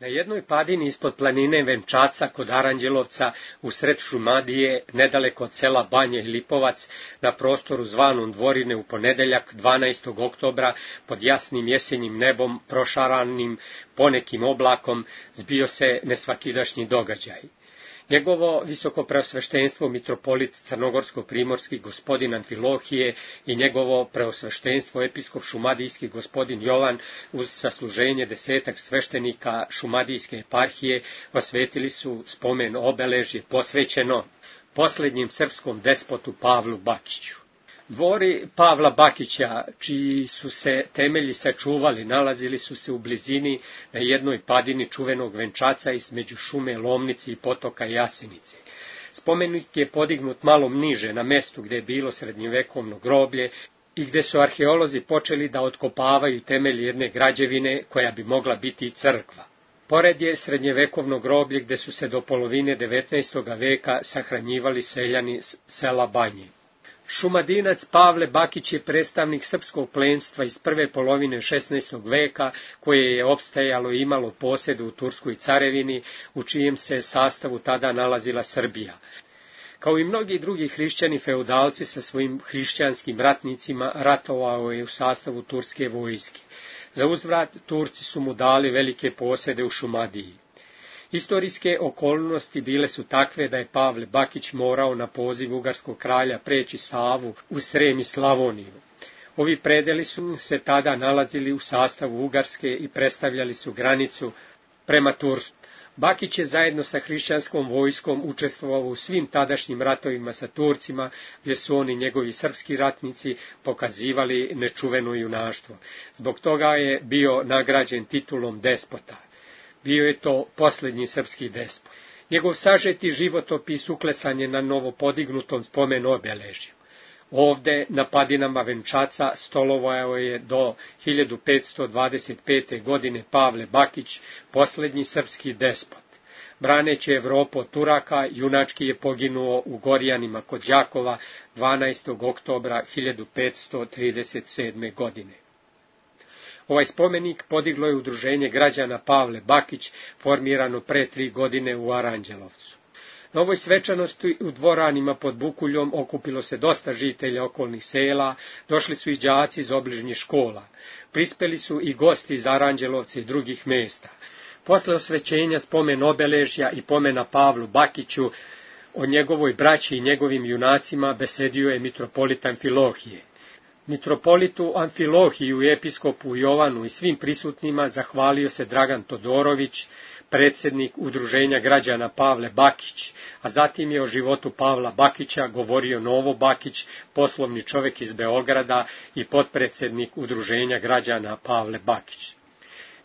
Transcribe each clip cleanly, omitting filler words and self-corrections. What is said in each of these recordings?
Na jednoj padini ispod planine Venčaca kod Aranđelovca, usred Šumadije, nedaleko od sela Banje i Lipovac, na prostoru zvanom Dvorine u ponedeljak 12. oktobra, pod jasnim jesenjim nebom, prošaranim ponekim oblakom, zbio se nesvakidašnji događaj. Njegovo visokopreosveštenstvo mitropolit crnogorsko-primorski gospodin Amfilohije i njegovo preosveštenstvo episkop šumadijski gospodin Jovan uz sasluženje 10 sveštenika šumadijske eparhije osvetili su spomen obeležje posvećeno posljednjem srpskom despotu Pavlu Bakiću. Dvori Pavla Bakića, čiji su se temelji sačuvali, nalazili su se u blizini na jednoj padini čuvenog Venčaca između šume Lomnice i potoka Jasenice. Spomenik je podignut malo niže na mestu gdje je bilo srednjovekovno groblje i gdje su arheolozi počeli da otkopavaju temelj jedne građevine koja bi mogla biti i crkva. Pored je srednjevekovno groblje gdje su se do polovine 19. veka sahranjivali seljani sela Banje. Šumadinac Pavle Bakić je predstavnik srpskog plemstva iz prve polovine 16. veka, koje je opstajalo i imalo posjede u Turskoj carevini, u čijem se sastavu tada nalazila Srbija. Kao i mnogi drugi hrišćani feudalci sa svojim hrišćanskim ratnicima, ratovao je u sastavu turske vojske. Za uzvrat Turci su mu dali velike posjede u Šumadiji. Istorijske okolnosti bile su takve da je Pavle Bakić morao na poziv ugarskog kralja preći Savu u Srem i Slavoniju. Ovi predeli su se tada nalazili u sastavu Ugarske i predstavljali su granicu prema Tursku. Bakić je zajedno sa hrišćanskom vojskom učestvovao u svim tadašnjim ratovima sa Turcima, gdje su oni njegovi srpski ratnici pokazivali nečuveno junaštvo. Zbog toga je bio nagrađen titulom despota. Bio je to posljednji srpski despot. Njegov sažeti životopis uklesan je na novopodignutom spomen obeležju. Ovde, na padinama Venčaca, stolovao je do 1525. godine Pavle Bakić, posljednji srpski despot. Braneći Evropu od Turaka, junački je poginuo u Gorjanima kod Đakova 12. oktobra 1537. godine. Ovaj spomenik podiglo je udruženje građana Pavle Bakić, formirano pre 3 godine u Aranđelovcu. Na ovoj svečanosti u dvoranima pod Bukuljom okupilo se dosta žitelja okolnih sela, došli su i đaci iz obližnjih škola, prispeli su i gosti iz Aranđelovca i drugih mesta. Posle osvećenja spomen obeležja i pomena Pavlu Bakiću, o njegovoj braći i njegovim junacima besedio je mitropolit Amfilohije. Mitropolitu Amfilohiju i episkopu Jovanu i svim prisutnima zahvalio se Dragan Todorović, predsjednik udruženja građana Pavle Bakić, a zatim je o životu Pavla Bakića govorio Novo Bakić, poslovni čovjek iz Beograda i potpredsjednik udruženja građana Pavle Bakić.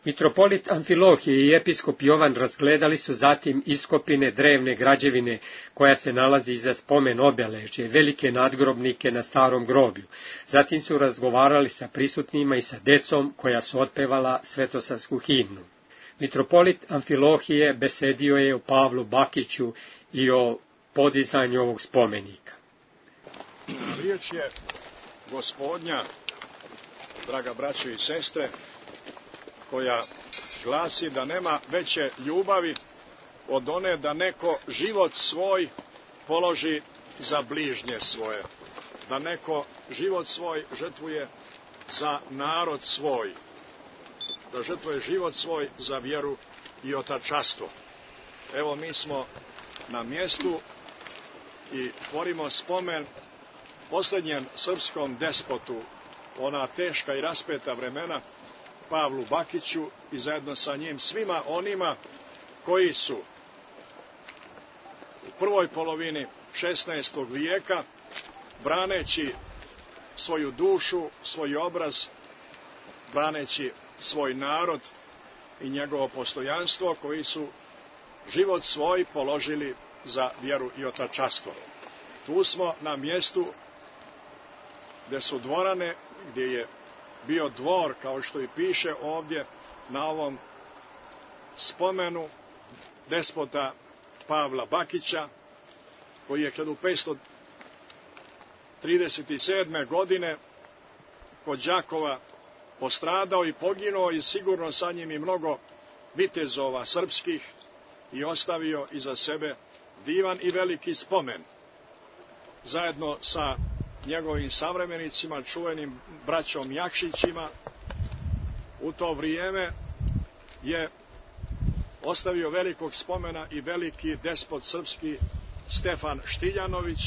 Mitropolit Amfilohije i episkop Jovan razgledali su zatim iskopine drevne građevine koja se nalazi iza spomen obeležje, velike nadgrobnike na starom groblju. Zatim su razgovarali sa prisutnima i sa decom koja su otpevala svetosarsku himnu. Mitropolit Amfilohije besedio je o Pavlu Bakiću i o podizanju ovog spomenika. Riječ je Gospodnja, draga braćo i sestre, koja glasi da nema veće ljubavi od one da neko život svoj položi za bližnje svoje, da neko život svoj žrtvuje za narod svoj, da žrtvuje život svoj za vjeru i otačanstvo. Evo, mi smo na mjestu i tvorimo spomen posljednjem srpskom despotu, ona teška i raspeta vremena, Pavlu Bakiću, i zajedno sa njim svima onima koji su u prvoj polovini 16. vijeka, braneći svoju dušu, svoj obraz, braneći svoj narod i njegovo postojanstvo, koji su život svoj položili za vjeru i otačanstvo. Tu smo na mjestu gdje su dvorane, gdje je bio dvor, kao što i piše ovdje na ovom spomenu despota Pavla Bakića, koji je 1537. godine kod Đakova postradao i poginuo, i sigurno sa njim i mnogo vitezova srpskih i ostavio iza sebe divan i veliki spomen. Zajedno sa njegovim savremenicima, čuvenim braćom Jakšićima, u to vrijeme je ostavio velikog spomena i veliki despot srpski Stefan Štiljanović,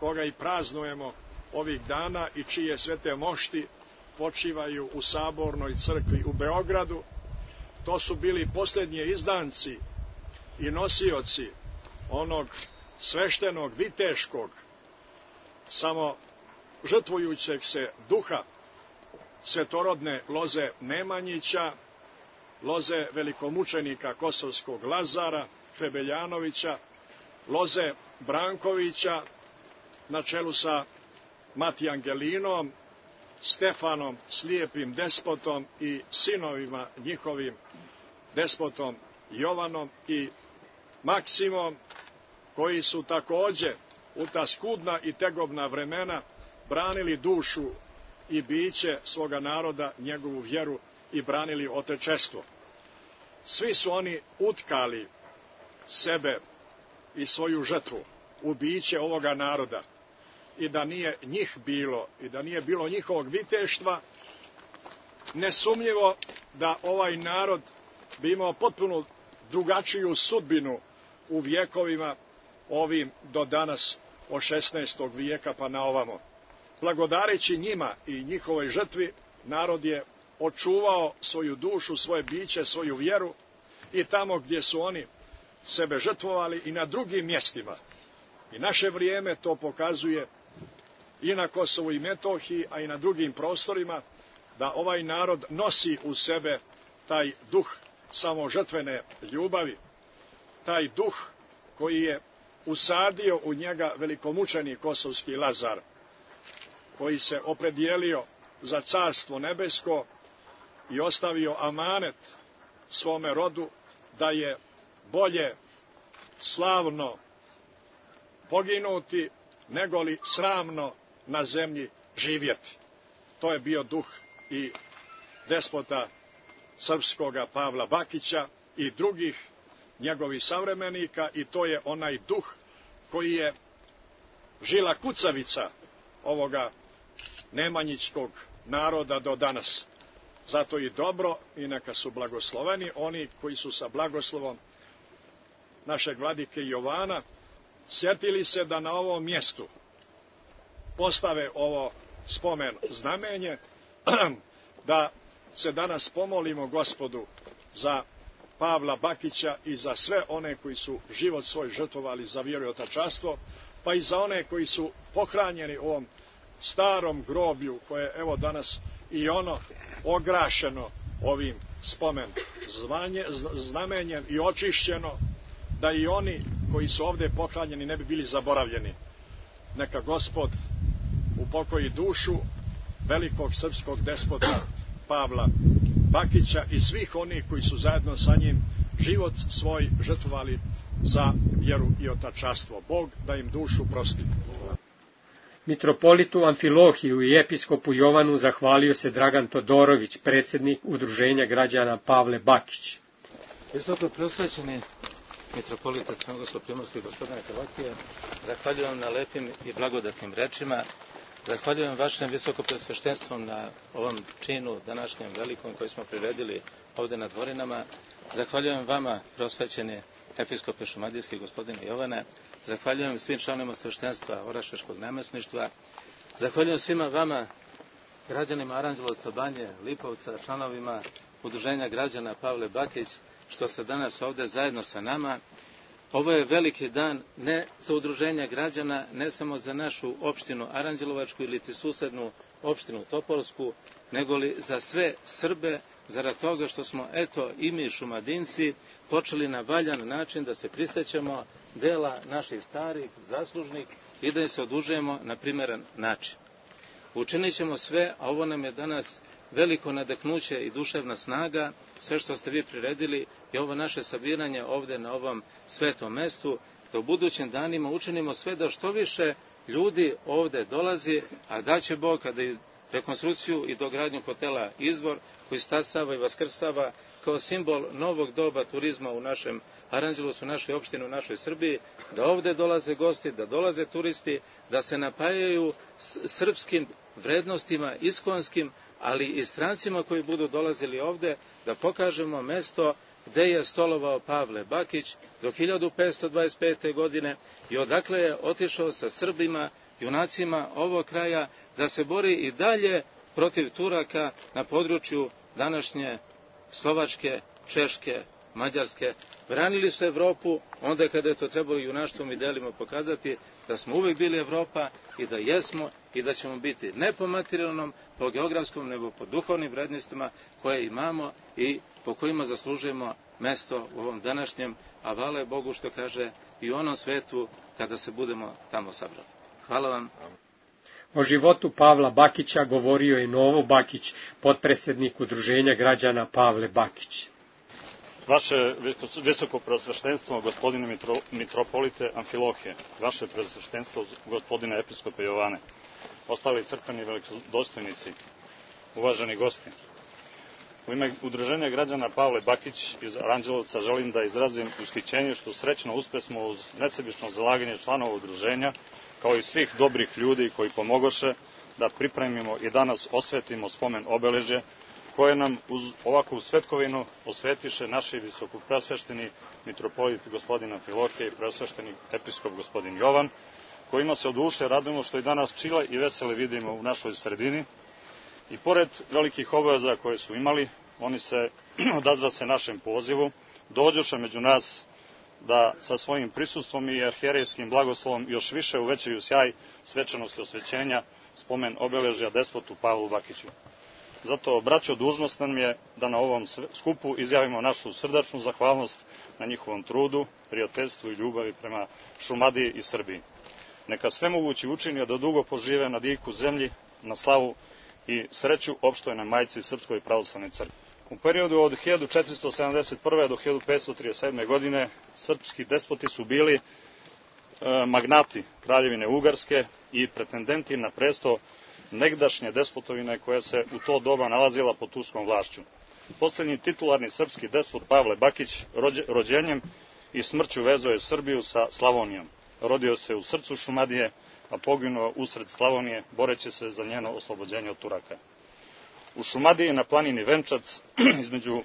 koga i praznujemo ovih dana i čije svete mošti počivaju u Sabornoj crkvi u Beogradu. To su bili posljednji izdanci i nosioci onog sveštenog, viteškog, samo žrtvujućeg se duha svetorodne loze Nemanjića, loze velikomučenika kosovskog Lazara Hrebeljanovića, loze Brankovića na čelu sa Matijangelinom, Stefanom, slijepim despotom i sinovima njihovim, despotom Jovanom i Maksimom, koji su takođe u ta skudna i tegobna vremena branili dušu i biće svoga naroda, njegovu vjeru i branili otečestvo. Svi su oni utkali sebe i svoju žrtvu u biće ovoga naroda. I da nije njih bilo, i da nije bilo njihovog viteštva, nesumnjivo da ovaj narod bi imao potpuno drugačiju sudbinu u vjekovima ovim do danas od 16. vijeka pa na ovamo. Blagodareći njima i njihovoj žrtvi, narod je očuvao svoju dušu, svoje biće, svoju vjeru i tamo gdje su oni sebe žrtvovali i na drugim mjestima. I naše vrijeme to pokazuje i na Kosovu i Metohiji, a i na drugim prostorima, da ovaj narod nosi u sebe taj duh samožrtvene ljubavi, taj duh koji je usadio u njega velikomučenik kosovski Lazar, koji se opredijelio za carstvo nebesko i ostavio amanet svome rodu da je bolje slavno poginuti negoli sramno na zemlji živjeti. To je bio duh i despota srpskoga Pavla Bakića i drugih njegovih savremenika, i to je onaj duh koji je žila kucavica ovoga nemanjićkog naroda do danas. Zato i dobro i neka su blagosloveni oni koji su sa blagoslovom našeg vladike Jovana sjetili se da na ovom mjestu postave ovo spomen znamenje, da se danas pomolimo Gospodu za Pavla Bakića i za sve one koji su život svoj žrtvovali za vjeru i otačanstvo, pa i za one koji su pohranjeni u ovom starom groblju koje je evo danas i ono ograšeno ovim spomen znamenjem i očišćeno, da i oni koji su ovdje pohranjeni ne bi bili zaboravljeni. Neka Gospod upokoji dušu velikog srpskog despota Pavla Bakića i svih onih koji su zajedno sa njim život svoj žrtvovali za vjeru i otačanstvo. Bog da im dušu prosti. Mitropolitu Amfilohiju i episkopu Jovanu zahvalio se Dragan Todorović, predsjednik Udruženja građana Pavle Bakić. Visoko preosvećeni mitropolita Crnogorsko-primorski gospodine Hrvatije, zahvaljujem na lepim i blagodatnim rečima, zahvaljujem vašem visoko presveštenstvu na ovom činu današnjem velikom koji smo priredili ovdje na dvorinama, zahvaljujem vama preosvećeni episkope šumadijski gospodine Jovane, zahvaljujem svim članovima sveštenstva Oraševskog namjesništva, zahvaljujem svima vama, građanima Aranđelovca, Banje, Lipovca, članovima Udruženja građana Pavle Bakić, što ste danas ovdje zajedno sa nama. Ovo je veliki dan ne za udruženje građana, ne samo za našu opštinu Aranđelovačku ili susednu opštinu Topolsku, nego li za sve Srbe, zarad toga što smo, eto, i mi Šumadinci počeli na valjan način da se prisjećamo dela naših starih, zaslužnih i da im se odužujemo na primjeren način. Učinit ćemo sve, a ovo nam je danas veliko nadahnuće i duševna snaga, sve što ste vi priredili i ovo naše sabiranje ovdje na ovom svetom mestu, da u budućim danima učinimo sve da što više ljudi ovdje dolazi, a da će Bog kada i rekonstrukciju i dogradnju hotela Izvor, koji stasava i vaskrsava kao simbol novog doba turizma u našem Aranđelovcu, u našoj opštini, u našoj Srbiji, da ovde dolaze gosti, da dolaze turisti, da se napajaju srpskim vrednostima, iskonskim, ali i strancima koji budu dolazili ovde, da pokažemo mesto gde je stolovao Pavle Bakić do 1525. godine i odakle je otišao sa Srbima, junacima ovog kraja, da se bori i dalje protiv Turaka na području današnje Slovačke, Češke, Mađarske. Branili su Evropu onda kada je to trebalo junaštvom i delima pokazati da smo uvek bili Evropa i da jesmo i da ćemo biti ne po materijalnom, po geografskom, nego po duhovnim vrednostima koje imamo i po kojima zaslužujemo mesto u ovom današnjem, a hvala je Bogu što kaže i u onom svetu kada se budemo tamo sabrali. Hvala vam. O životu Pavla Bakića govorio je Novo Bakić, potpredsjednik Udruženja građana Pavle Bakić. Vaše visoko preosveštenstvo, gospodine mitropolite Amfilohije, vaše preosveštenstvo, gospodine episkope Jovane, ostali crkveni velikodostojnici, uvaženi gosti. U ime Udruženja građana Pavle Bakić iz Aranđelovca želim da izrazim ushićenje što srećno uspesmo uz nesebično zalaganje članova udruženja, kao i svih dobrih ljudi koji pomogoše da pripremimo i danas osvetimo spomen obeležje koje nam uz ovakvu svetkovinu osvetiše naši visokopreosvešteni mitropolit gospodin Amfilohije i preosvešteni episkop gospodin Jovan, kojima se od duše radujemo što i danas čile i vesele vidimo u našoj sredini. I pored velikih obaveza koje su imali, oni se odazvase našem pozivu, dođoše među nas da sa svojim prisustvom i arhijerejskim blagoslovom još više uvećaju sjaj svečanosti osvećenja spomen obeležja despotu Pavlu Bakiću. Zato, braćo, dužnost nam je da na ovom skupu izjavimo našu srdačnu zahvalnost na njihovom trudu, prijateljstvu i ljubavi prema Šumadiji i Srbiji. Neka svemogući učini da dugo požive na diku zemlji, na slavu i sreću opštojnoj majci Srpskoj pravoslavnoj crkvi. U periodu od 1471. do 1537. godine srpski despoti su bili magnati Kraljevine Ugarske i pretendenti na presto negdašnje despotovine koja se u to doba nalazila pod turskom vlašću. Poslednji titularni srpski despot Pavle Bakić rođenjem i smrću vezao je Srbiju sa Slavonijom. Rodio se u srcu Šumadije, a poginuo usred Slavonije, boreći se za njeno oslobođenje od Turaka. U Šumadiji na planini Venčac, između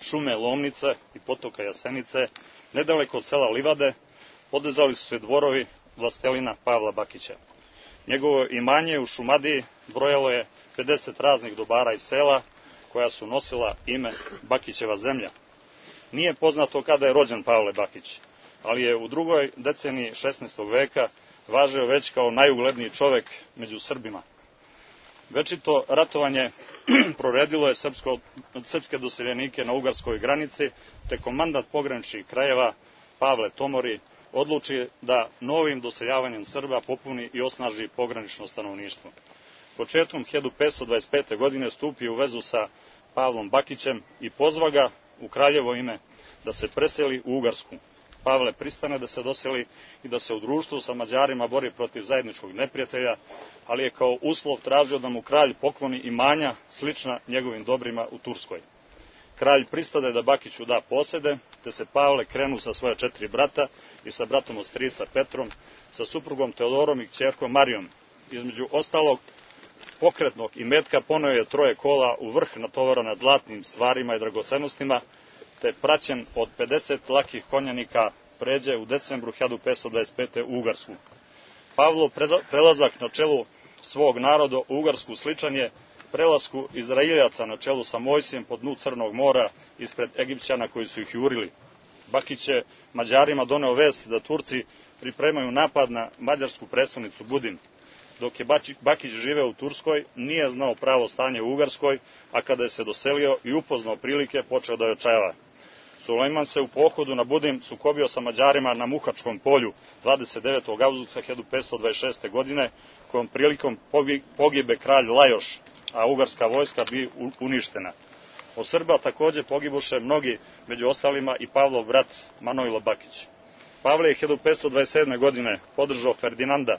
šume Lomnice i potoka Jasenice, nedaleko od sela Livade, podizali su se dvorovi vlastelina Pavla Bakića. Njegovo imanje u Šumadiji brojalo je 50 raznih dobara i sela koja su nosila ime Bakićeva zemlja. Nije poznato kada je rođen Pavle Bakić, ali je u drugoj deceniji 16. veka važio već kao najugledniji čovek među Srbima. Večito ratovanje proredilo je srpske doseljenike na ugarskoj granici, te komandant pograničnih krajeva Pavle Tomori odluči da novim doseljavanjem Srba popuni i osnaži pogranično stanovništvo. Početkom 1525. godine stupio u vezu sa Pavlom Bakićem i pozva ga u kraljevo ime da se preseli u Ugarsku. Pavle pristane da se doseli i da se u društvu sa Mađarima bori protiv zajedničkog neprijatelja, ali je kao uslov tražio da mu kralj pokloni imanja slična njegovim dobrima u Turskoj. Kralj pristade da Bakiću da posede, te se Pavle krenu sa svoja 4 brata i sa bratom od strica Petrom, sa suprugom Teodorom i kćerkom Marijom. Između ostalog pokretnog imetka poneo je 3 kola u vrh natovarana zlatnim stvarima i dragocenostima, te praćen od 50 lakih konjanika pređe u decembru 1525. u Ugarsku. Pavlov prelazak na čelu svog naroda u Ugarsku sličan je prelasku Izraeljaca na čelu sa Mojsijem po dnu Crnog mora ispred Egipćana koji su ih jurili. Bakić je Mađarima doneo vest da Turci pripremaju napad na mađarsku prestonicu Budin. Dok je Bakić živeo u Turskoj, nije znao pravo stanje u Ugarskoj, a kada je se doselio i upoznao prilike, počeo da je očajava. Sulejman se u pohodu na Budin sukobio sa Mađarima na Muhačkom polju 29. avgusta 1526. godine, kojom prilikom pogibe kralj Lajoš, a ugarska vojska bi uništena. Od Srba takođe pogibuše mnogi, među ostalima i Pavlov brat Manojlo Bakić. Pavle je 1527. godine podržao Ferdinanda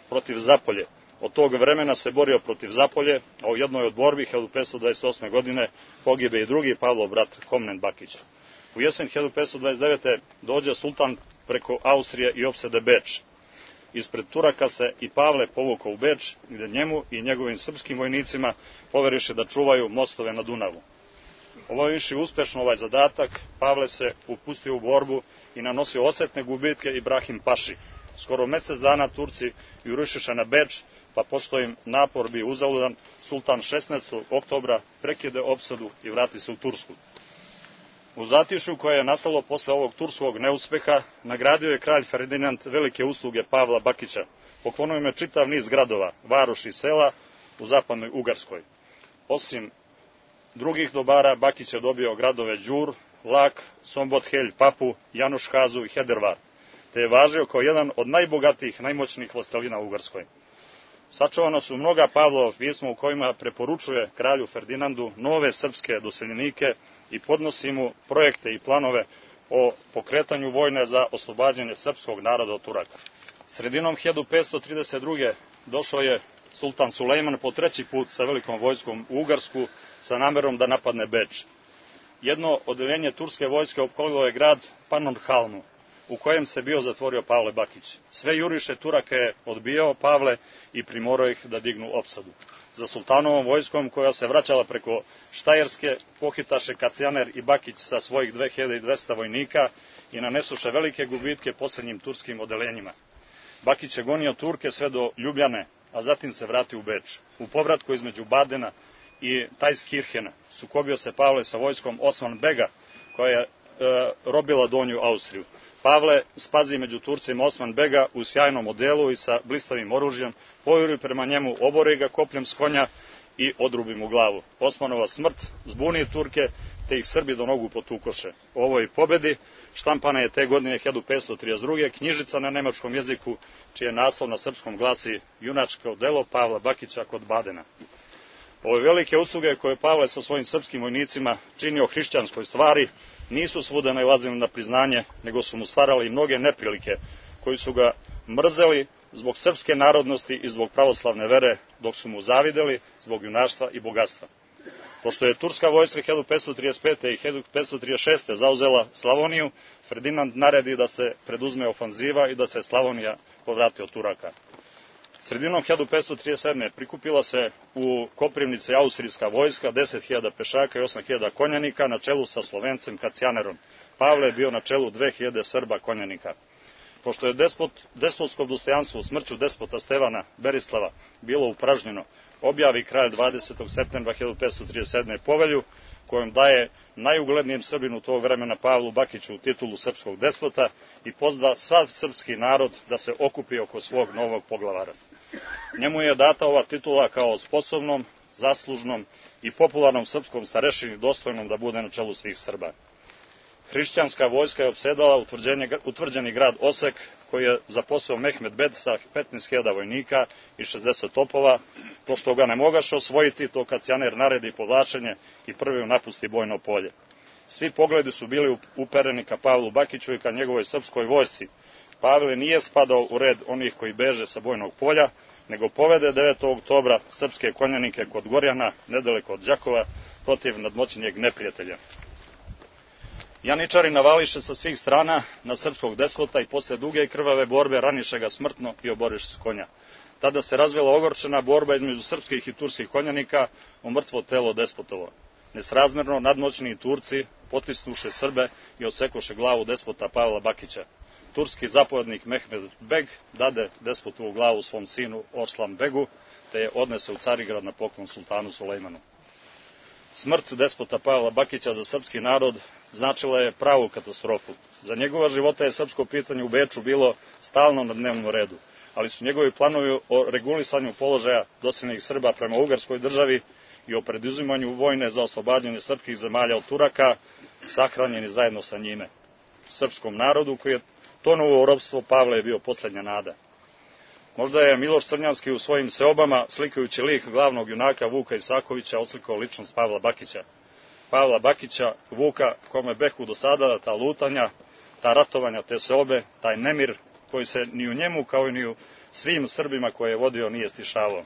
protiv Zapolje, Od tog vremena se borio protiv Zapolje, a u jednoj od borbi 1528. godine pogibe i drugi Pavlov brat Komnen Bakić. U jesen 1529. dođe sultan preko Austrije i opsede Beč. Ispred Turaka se i Pavle povukao u Beč, gde njemu i njegovim srpskim vojnicima poveriše da čuvaju mostove na Dunavu. Obavivši uspešno ovaj zadatak, Pavle se upustio u borbu i nanosio osetne gubitke Ibrahim Paši. Skoro mesec dana Turci jurišiše na Beč, pa pošto im napor bio uzaludan, sultan 16. oktobra prekide opsadu i vrati se u Tursku. U zatišju koje je nastalo posle ovog turskog neuspeha, nagradio je kralj Ferdinand velike usluge Pavla Bakića. Poklonio im je čitav niz gradova, varoši i sela u zapadnoj Ugarskoj. Osim drugih dobara, Bakić je dobio gradove Đur, Lak, Sombothelj, Papu, Januškazu i Hedervar, te je važio kao jedan od najbogatijih, najmoćnijih vlastelina u Ugarskoj. Sačuvano su mnoga Pavlova pisma u kojima preporučuje kralju Ferdinandu nove srpske doseljenike i podnosi mu projekte i planove o pokretanju vojne za oslobađanje srpskog naroda od Turaka. Sredinom 1532. došao je sultan Sulejman po treći put sa velikom vojskom u Ugarsku sa namerom da napadne Beč. Jedno odeljenje turske vojske opkolilo je grad Pannonhalmu, u kojem se bio zatvorio Pavle Bakić. Sve juriše Turaka je odbijao Pavle i primorao ih da dignu opsadu. Za sultanovom vojskom, koja se vraćala preko Štajerske, pohitaše Kacijaner i Bakić sa svojih 2200 vojnika i nanesuše velike gubitke posljednjim turskim odeljenjima. Bakić je gonio Turke sve do Ljubljane, a zatim se vratio u Beč. U povratku između Badena i Tajskirhena sukobio se Pavle sa vojskom Osman Bega, koja je robila Donju Austriju. Pavle spazi među Turcima Osman Bega u sjajnom odelu i sa blistavim oružjem, pojuri prema njemu, obori ga kopljem s konja i odrubi mu glavu. Osmanova smrt zbuni Turke, te ih Srbi do nogu potukoše. O ovoj pobedi štampana je te godine 1532. knjižica na nemačkom jeziku, čije naslov na srpskom glasi Junačko delo Pavla Bakića kod Badena. Ove velike usluge koje Pavle sa svojim srpskim vojnicima činio hrišćanskoj stvari nisu svuda nailazili na priznanje, nego su mu stvarali mnoge neprilike, koji su ga mrzeli zbog srpske narodnosti i zbog pravoslavne vere, dok su mu zavideli zbog junaštva i bogatstva. Pošto je turska vojska 1535. i 1536. zauzela Slavoniju, Ferdinand naredi da se preduzme ofanziva i da se Slavonija povrati od Turaka. Sredinom 1537. prikupila se u Koprivnici austrijska vojska, 10.000 pešaka i 8.000 konjanika na čelu sa Slovencem Kacijanerom. Pavle je bio na čelu 2.000 Srba konjanika. Pošto je despotsko dostojanstvo smrću despota Stevana Berislava bilo upražnjeno, objavi kralj 20. septembra 1537. povelju, kojom daje najuglednijem Srbinu tog vremena Pavlu Bakiću titulu srpskog despota i pozva sav srpski narod da se okupi oko svog novog poglavara. Njemu je data ova titula kao sposobnom, zaslužnom i popularnom srpskom starešini dostojnom da bude na čelu svih Srba. Hrišćanska vojska je opsedala utvrđeni grad Osek, koji je zaposlao Mehmed Bed sa 15.000 vojnika i 60 topova. Pošto ga ne mogaše osvojiti, to Kacijaner naredi povlačenje i prvi napusti bojno polje. Svi pogledi su bili upereni ka Pavlu Bakiću i ka njegovoj srpskoj vojsci. Pavle nije spadao u red onih koji beže sa bojnog polja, nego povede 9. oktobra srpske konjanike kod Gorjana, nedaleko od Đakova, protiv nadmoćnijeg neprijatelja. Janičari navališe sa svih strana na srpskog despota i posle duge i krvave borbe raniše ga smrtno i oboriše s konja. Tada se razvila ogorčena borba između srpskih i turskih konjanika o mrtvo telo despotovo. Nesrazmerno nadmoćni Turci potisnuše Srbe i odsekoše glavu despota Pavla Bakića. Turski zapovednik Mehmed Beg dade despotovu glavu svom sinu Oslan Begu, te je odnese u Carigrad na poklon sultanu Sulejmanu. Smrt despota Pavla Bakića za srpski narod značila je pravu katastrofu. Za njegova života je srpsko pitanje u Beču bilo stalno na dnevnom redu, ali su njegovi planovi o regulisanju položaja doseljenih Srba prema Ugarskoj državi i o preduzimanju vojne za oslobađanje srpskih zemalja od Turaka sahranjeni zajedno sa njime. Srpskom narodu koji je tonuo u ropstvo, Pavle je bio posljednja nada. Možda je Miloš Crnjanski u svojim seobama, slikajući lik glavnog junaka Vuka Isakovića, oslikao ličnost Pavla Bakića. Pavla Bakića, Vuka, kome behu do sada ta lutanja, ta ratovanja, te seobe, taj nemir koji se ni u njemu kao i ni u svim Srbima koje je vodio nije stišavao.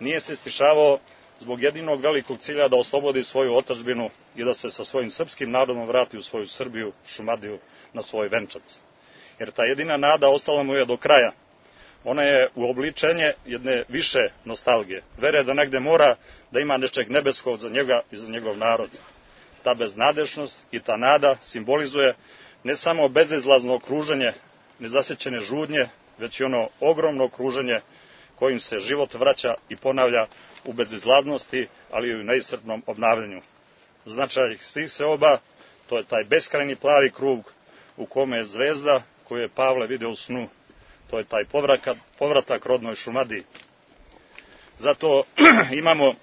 Nije se stišavao zbog jedinog velikog cilja da oslobodi svoju otadžbinu i da se sa svojim srpskim narodom vrati u svoju Srbiju, Šumadiju, na svoj venčac. Jer ta jedina nada ostala mu je do kraja. Ona je uobličenje jedne više nostalgije. Vere da negde mora da ima nečeg nebeskog za njega i za njegov narod. Ta beznadešnost i ta nada simbolizuje ne samo bezizlazno okruženje nezasećene žudnje, već i ono ogromno okruženje kojim se život vraća i ponavlja u bezizlaznosti, ali i u neiscrpnom obnavljanju. Značaj svih seoba, to je taj beskrajni plavi krug u kome je zvezda koju je Pavle video u snu. To je taj povratak rodnoj Šumadiji. Zato imamo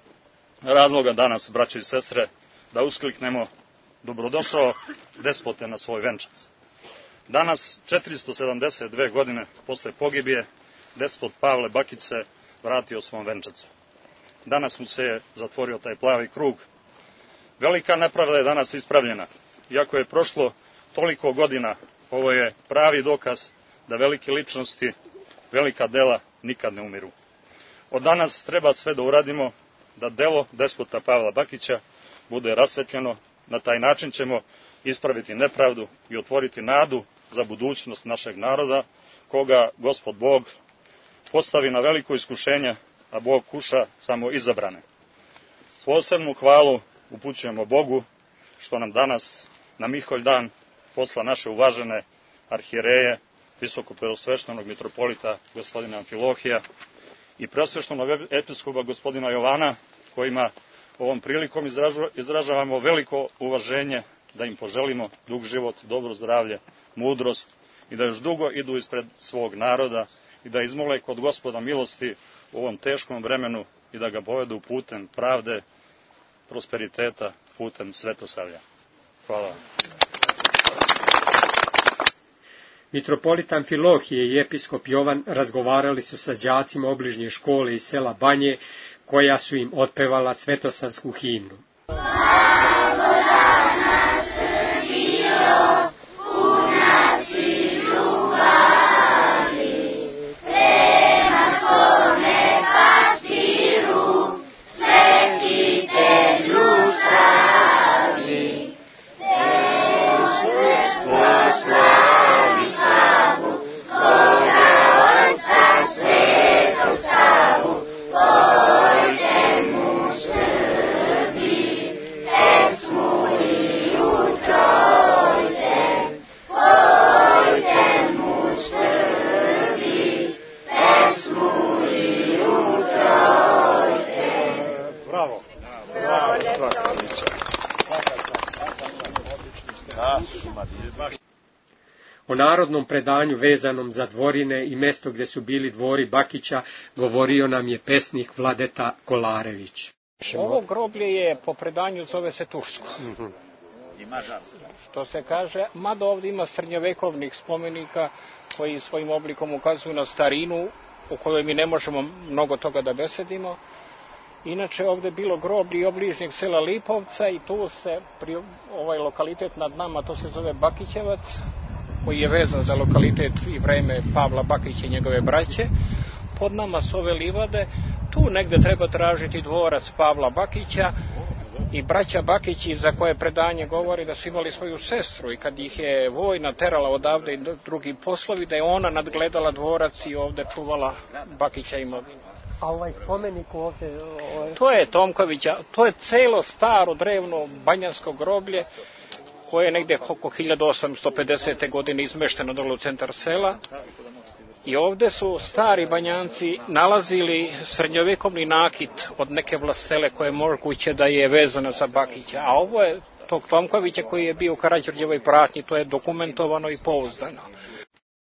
razloga danas, braćo i sestre, da uskliknemo dobrodošao despote na svoj venčac. Danas, 472 godine posle pogibije, despot Pavle Bakić se vratio svom venčacu. Danas mu se je zatvorio taj plavi krug. Velika nepravda je danas ispravljena. Iako je prošlo toliko godina, ovo je pravi dokaz da velike ličnosti, velika dela nikad ne umiru. Od danas treba sve da uradimo da delo despota Pavla Bakića bude rasvetljeno. Na taj način ćemo ispraviti nepravdu i otvoriti nadu za budućnost našeg naroda, koga Gospod Bog postavi na veliko iskušenje, a Bog kuša samo izabrane. Posebnu hvalu upućujemo Bogu što nam danas na Miholj dan posla naše uvažene arhijereje, visokopreosveštenog mitropolita gospodina Amfilohija i preosveštenog episkopa gospodina Jovana, kojima ovom prilikom izražavamo veliko uvaženje, da im poželimo dug život, dobro zdravlje, mudrost i da još dugo idu ispred svog naroda i da izmole kod Gospoda milosti u ovom teškom vremenu i da ga povedu putem pravde, prosperiteta, putem svetosavlja. Hvala vam. Mitropolit Amfilohije i episkop Jovan razgovarali su sa đacima obližnje škole iz sela Banje, koja su im otpevala svetosansku himnu. O narodnom predanju vezanom za dvorine i mesto gde su bili dvori Bakića govorio nam je pesnik Vladeta Kolarević. Ovo groblje je po predanju zove se Tursko. Što se kaže, mada ovdje ima srednjovekovnih spomenika koji svojim oblikom ukazuju na starinu u kojoj mi ne možemo mnogo toga da besedimo. Inače ovdje je bilo groblje obližnjeg sela Lipovca i tu se, ovaj lokalitet nad nama, to se zove Bakićevac, koji je vezan za lokalitet i vreme Pavla Bakića i njegove braće. Pod nama su ove livade, tu negde treba tražiti dvorac Pavla Bakića i braća Bakići, za koje predanje govori da su imali svoju sestru i kad ih je vojna terala odavde i drugi poslovi, da je ona nadgledala dvorac i ovde čuvala Bakića imovinu. A ovaj spomenik ovde... To je Tomkovića, to je celo staro drevno banjansko groblje koje je negde oko 1850. godine izmešteno dole u centar sela. I ovde su stari banjanci nalazili srednjovekovni nakit od neke vlastele koje je moguće da je vezana za Bakića. A ovo je tog Tomkovića koji je bio u Karađorđevoj pratnji, to je dokumentovano i pouzdano.